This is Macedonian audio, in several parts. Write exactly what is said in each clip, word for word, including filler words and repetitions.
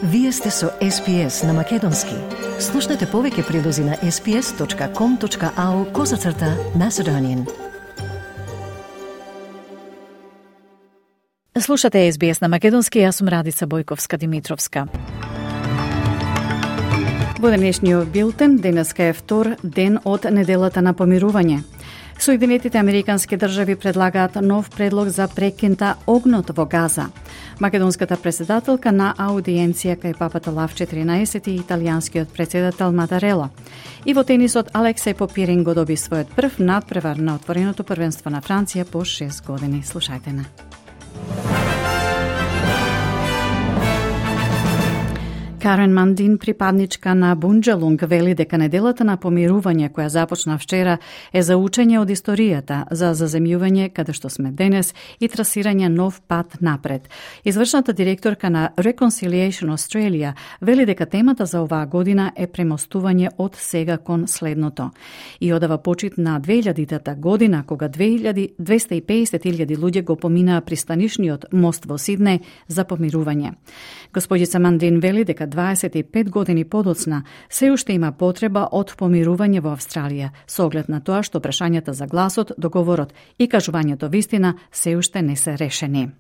Вие сте со Ес Би Ес на Македонски. Слушнете повеќе прилози на ес би ес точка ком точка ау козацрта Macedonian. Слушате Ес Би Ес на Македонски, јас сум Радица Бојковска-Димитровска. Во денешниот билтен, денеска е втор ден од неделата на помирување. Соединетите американски држави предлагаат нов предлог за прекинта огнот во Газа. Македонската председателка на аудиенција кај папата Лав четиринаесет и италијанскиот председател Матарела. И во тенисот Алексеј Попирин го доби својот прв надпревар на отвореното првенство на Франција по шест години. Слушајте на. Карен Мандин, припадничка на Бунџелунг, вели дека неделата на помирување која започна вчера е за учење од историјата, за заземјување каде што сме денес и трасирање нов пат напред. Извршната директорка на Reconciliation Australia вели дека темата за оваа година е премостување од сега кон следното. И одава почит на две илјадитата година, кога двеста и песет илјади луѓе го поминаа пристанишниот мост во Сиднеј за помирување. Господица Мандин вели дека дваесет и пет години подоцна се уште има потреба од помирување во Австралија, со оглед на тоа што прашањата за гласот, договорот и кажувањето вистина се уште не се решени.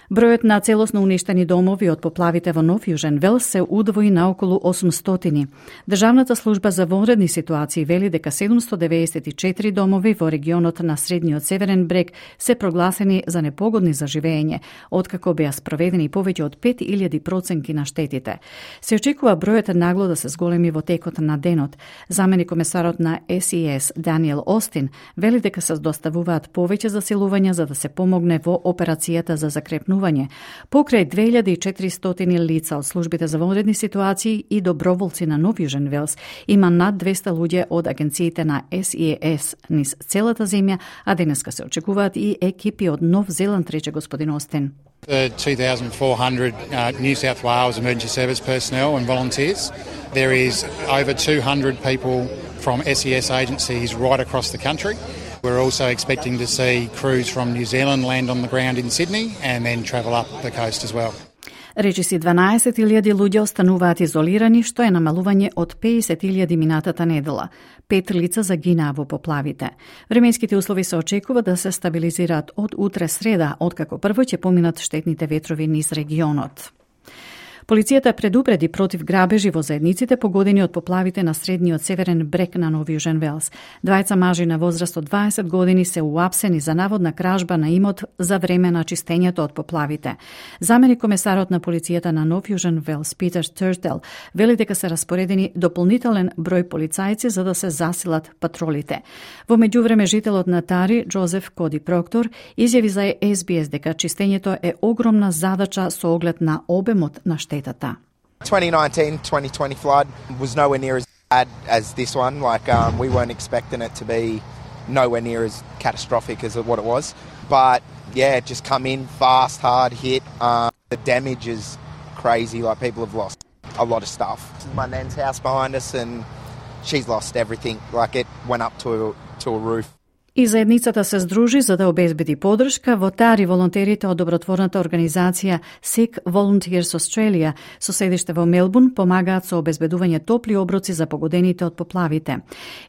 Бројот на целосно уништени домови од поплавите во Нов Јужен Велс се удвои на околу осумстотини. Државната служба за вонредни ситуации вели дека седумсто деветдесет и четири домови во регионот на Средниот Северен брег се прогласени за непогодни за живење, откако беа спроведени повеќе од пет илјади проценки на штетите. Се очекува бројот нагло да се зголеми во текот на денот. Заменик комесарот на Ес И Ес Даниел Остин вели дека се доставуваат повеќе засилувања за да се помогне во операцијата за закрепнување. Покрај две илјади и четиристотини лица од службите за вонредни ситуации и доброволци на Нов Јужен Велс, има над двеста луѓе од агенциите на Ес И Ес низ целата земја, а денеска се очекуваат и екипи од Нов Зеланд, рече господин Остин. The two thousand four hundred uh, New South Wales emergency service personnel and volunteers. There is over two hundred people from S E S agencies right across the country. We're also expecting to see crews from New Zealand land on the ground in Sydney and then travel up the coast as well. Речиси дванаесет илјади луѓе остануваат изолирани, што е намалување од песет илјади минатата недела. Пет лица загинаа во поплавите. Временските услови се очекува да се стабилизираат од утре среда, откако прво ќе поминат штетните ветрови низ регионот. Полицијата предупреди против грабежи во заедниците погодени од поплавите на Средниот Северен брег на Нов Јужен Велс. Двајца мажи на возраст од дваесет години се уапсени за наводна кражба на имот за време на чистењето од поплавите. Заменик комесарот на полицијата на Нов Јужен Велс, Питер Стертел, вели дека се распоредени дополнителен број полицајци за да се засилат патролите. Во меѓувреме жителот на Тари, Джозеф Коди Проктор, изјави за Ес Би Ес дека чистењето е огромна задача со оглед на обемот на штетата. twenty nineteen twenty twenty flood was nowhere near as bad as this one. Like, um, we weren't expecting it to be nowhere near as catastrophic as what it was. But, yeah, just come in fast, hard, hit. Um, the damage is crazy. Like, people have lost a lot of stuff. My nan's house behind us, and she's lost everything. Like, it went up to a, to a roof. И заедницата се здружи за да обезбеди подршка. Во Тари волонтерите од добротворната организација Sikh Volunteers Australia со седиште во Мелбурн помагаат со обезбедување топли оброци за погодените од поплавите.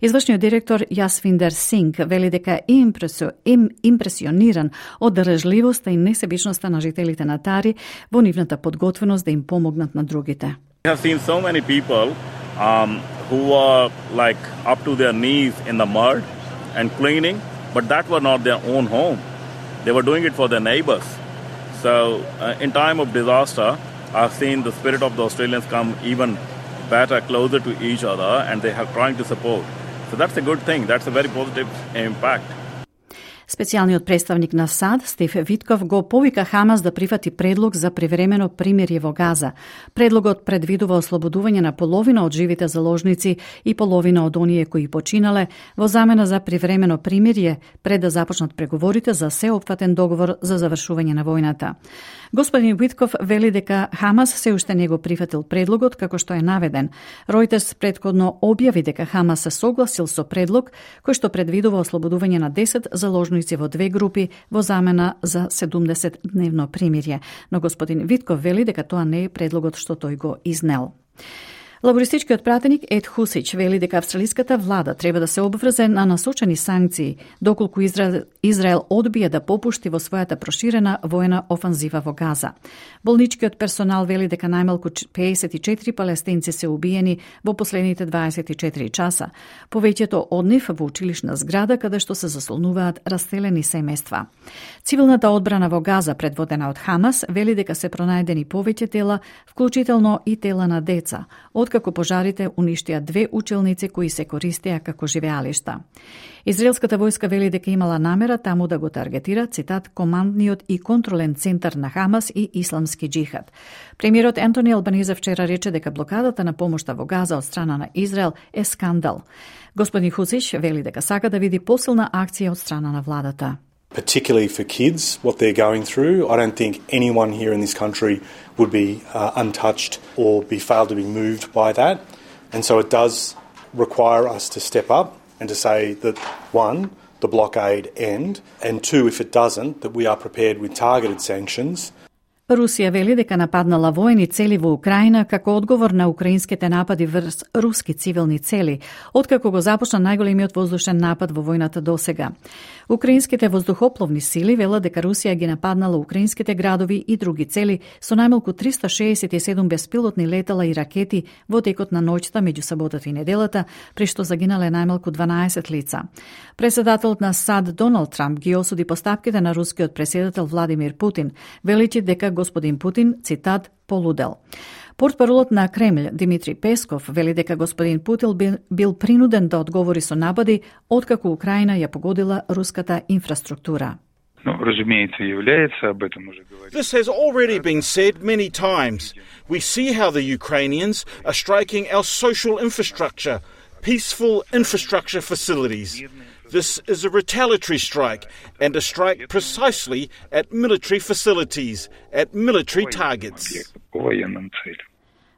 Извршниот директор Јасвиндер Синг вели дека е импресио, им, импресиониран од држливоста и несебичноста на жителите на Тари во нивната подготвеност да им помогнат на другите. We have seen so many people um, who are like up to their knees in the mud and cleaning, but that were not their own home. They were doing it for their neighbors. So uh, in time of disaster, I've seen the spirit of the Australians come even better, closer to each other, and they are trying to support. So that's a good thing. That's a very positive impact. Специјалниот представник на САД, Стив Витков, го повика Хамас да прифати предлог за привремено примирје во Газа. Предлогот предвидува ослободување на половина од живите заложници и половина од оние кои починале во замена за привремено примирје пред да започнат преговорите за сеопфатен договор за завршување на војната. Господин Витков вели дека Хамас се уште не го прифатил предлогот како што е наведен. Ројтерс претходно објави дека Хамас се согласил со предлог кој што предвидува ослободување на десет заложници сојузници во две групи во замена за седумдесет дневно примирје, но господин Витков вели дека тоа не е предлогот што тој го изнел. Лабористичкиот пратеник Ед Хусич вели дека австралиската влада треба да се обврзе на насочени санкции доколку Израел, Израел одбие да попушти во својата проширена војна офанзива во Газа. Болничкиот персонал вели дека најмалку пеесет и четири палестинци се убиени во последните дваесет и четири часа, повеќето од нив во училишна зграда каде што се заслонуваат раселени семејства. Цивилната одбрана во Газа, предводена од Хамас, вели дека се пронајдени повеќе тела, вклучително и тела на деца, откако пожарите уништија две училници кои се користеа како живеалишта. Израелската војска вели дека имала намера таму да го таргетира, цитат, командниот и контролен центар на Хамас и исламски джихад. Премиерот Ентони Албанезе вчера рече дека блокадата на помошта во Газа од страна на Израел е скандал. Господин Хусич вели дека сака да види посилна акција од страна на владата. Particularly for kids, what they're going through. I don't think anyone here in this country would be uh, untouched or be failed to be moved by that. And so it does require us to step up and to say that, one, the blockade end, and two, if it doesn't, that we are prepared with targeted sanctions. Русија вели дека нападнала војни цели во Украина како одговор на украинските напади врз руски цивилни цели, откако го започна најголемиот воздушен напад во војната досега. Украинските воздухопловни сили велат дека Русија ги нападнала украинските градови и други цели со најмалку триста шеесет и седум беспилотни летала и ракети во текот на ноќта меѓу саботата и неделата, при што загинале најмалку дванаесет лица. Преседателот на САД Доналд Трамп ги осуди постапките на рускиот преседател Владимир Путин, величи дека господин Путин, цитат, полудел. Портпаролот на Кремљ Димитри Песков вели дека господин Путин бил, бил принуден да одговори со напади откако Украина ја погодила руската инфраструктура. This has already been said many times. We see how the Ukrainians are striking our social infrastructure, peaceful infrastructure facilities. This is a retaliatory strike, and a strike precisely at military facilities, at military targets.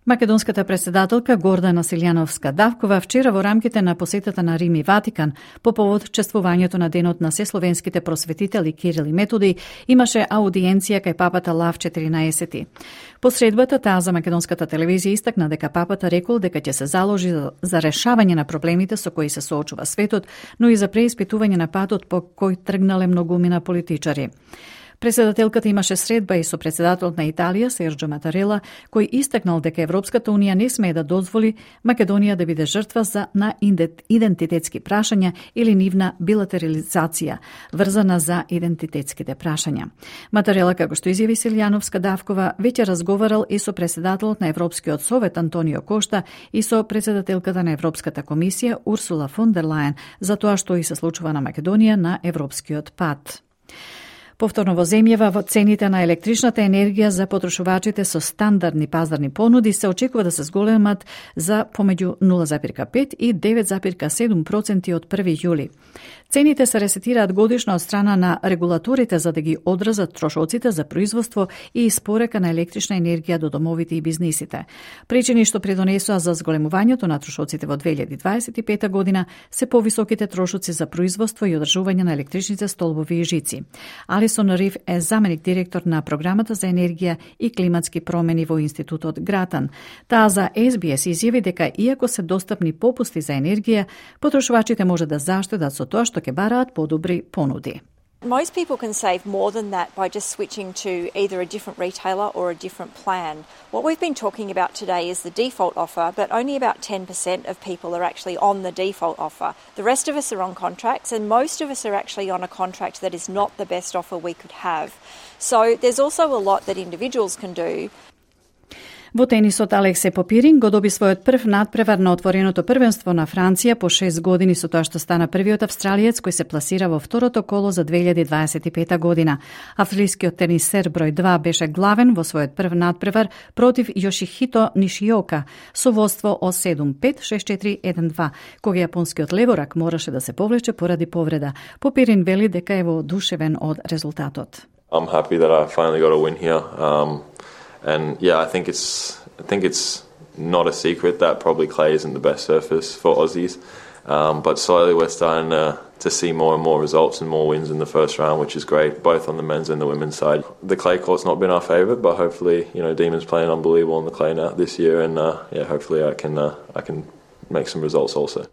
Македонската преседателка Гордана Силјановска-Давкова вчера во рамките на посетата на Рим и Ватикан по повод чествувањето на денот на сесловенските просветители Кирил и Методи имаше аудиенција кај папата Лав четиринаесети. По средбата таа за македонската телевизија истакна дека папата рекол дека ќе се заложи за решавање на проблемите со кои се соочува светот, но и за преиспитување на патот по кој тргнале многумина политичари. Преседателката имаше средба и со председателот на Италија, Серджо Матарела, кој истакнал дека Европската Унија не смее да дозволи Македонија да биде жртва за на идентитетски прашања или нивна билатерализација, врзана за идентитетските прашања. Матарела, како што изјави Силјановска-Давкова, веќе разговарал и со председателот на Европскиот совет Антонио Кошта и со председателката на Европската комисија Урсула фон дер Лајен за тоа што и се случува на Македонија на европскиот пат. Повторно во земјава, во цените на електричната енергија за потрошувачите со стандардни пазарни понуди се очекува да се зголемат за помеѓу нула зарез пет и девет зарез седум проценти од први јули. Цените се ресетираат годишно од страна на регулаторите за да ги одразат трошоците за производство и испорека на електрична енергија до домовите и бизнисите. Причини што придонесоа за зголемувањето на трошоците во две илјади дваесет и пета година се повисоките трошоци за производство и одржување на електричните столбови и жици. Алисон Риф е заменик директор на програмата за енергија и климатски промени во Институтот Гратан. Таа за Ес Би Ес изјави дека иако се достапни попусти за енергија, потрошувачите може да заштедат со тоа што ќе бараат подобри понуди. Most people can save more than that by just switching to either a different retailer or a different plan. What we've been talking about today is the default offer, but only about ten percent of people are actually on the default offer. The rest of us are on contracts, and most of us are actually on a contract that is not the best offer we could have. So there's also a lot that individuals can do. Во тенисот Алексе Попирин го доби својот прв надпревар на отвореното првенство на Франција по шест години со тоа што стана првиот австралиец кој се пласира во второто коло за две илјади дваесет и пета година. Австралискиот тенисер број два беше главен во својот прв надпревар против Јошихито Нишиока со водство од седум пет шест четири еден два, кога јапонскиот леворак мораше да се повлече поради повреда. Попирин вели дека е воодушевен од резултатот. I'm happy that I finally got a win here. Um... And yeah, I think it's I think it's not a secret that probably clay isn't the best surface for Aussies, um, but slowly we're starting to to see more and more results and more wins in the first round, which is great, both on the men's and the women's side. The clay court's not been our favourite, but hopefully, you know, Demon's playing unbelievable on the clay now this year, and uh, yeah, hopefully I can uh, I can make some results also.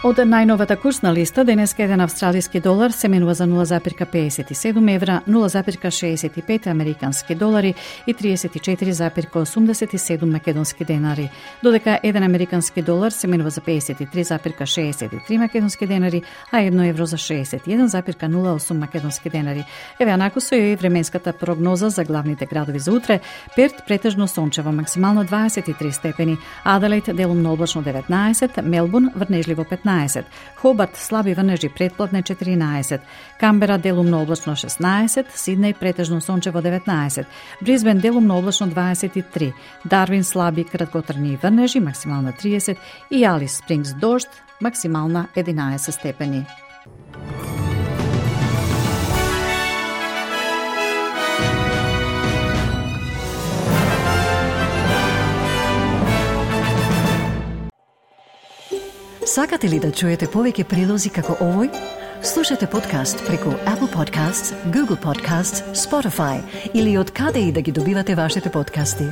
Од најновата курсна листа, денеска еден австралиски долар се менува за нула запирка педесет и седум евра, нула запирка шеесет и пет американски долари и триесет и четири запирка осумдесет и седум македонски денари, додека еден американски долар се менува за педесет и три запирка шеесет и три македонски денари, а едно евро за шеесет и еден запирка нула осум македонски денари. Еве анаку со и временската прогноза за главните градови за утре: Перт претежно сончево, максимално дваесет и три степени, Аделаид делумно облачно деветнаесет, Мелбурн врнежливо петнаесет, Хобарт слаби врнежи претпладне четиринаесет, Камбера делумно облачно шеснаесет, Сиднеј претежно сончево деветнаесет, Брисбен делумно облачно дваесет и три, Дарвин слаби краткотрни врнежи максимална триесет и Алис Спрингс дожд максимална единаесет степени. Сакате ли да чуете повеќе прилози како овој? Слушате подкаст преку Apple Podcasts, Google Podcasts, Spotify или од каде и да ги добивате вашите подкасти.